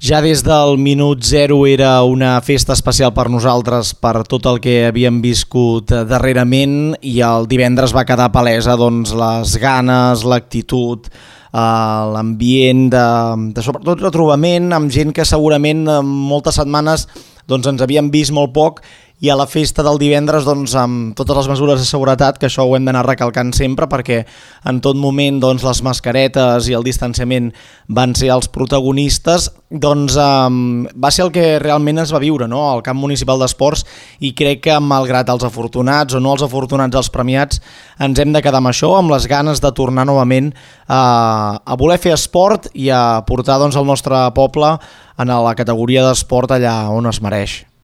Ja des del minut zero era una festa especial per nosaltres per tot el que havíem viscut darrerament i el divendres va quedar palesa doncs, les ganes, l'actitud, l'ambient de sobretot retrobament amb gent que segurament en moltes setmanes doncs, ens havíem vist molt poc i a la festa del divendres doncs, amb totes les mesures de seguretat, que això ho hem d'anar recalcant sempre perquè en tot moment doncs, les mascaretes i el distanciament van ser els protagonistes, doncs va ser el que realment es va viure, no? Al camp municipal d'esports, i crec que malgrat els afortunats o no els afortunats els premiats ens hem de quedar amb això, amb les ganes de tornar novament a voler fer esport i a portar doncs, el nostre poble en la categoria d'esport allà on es mereix.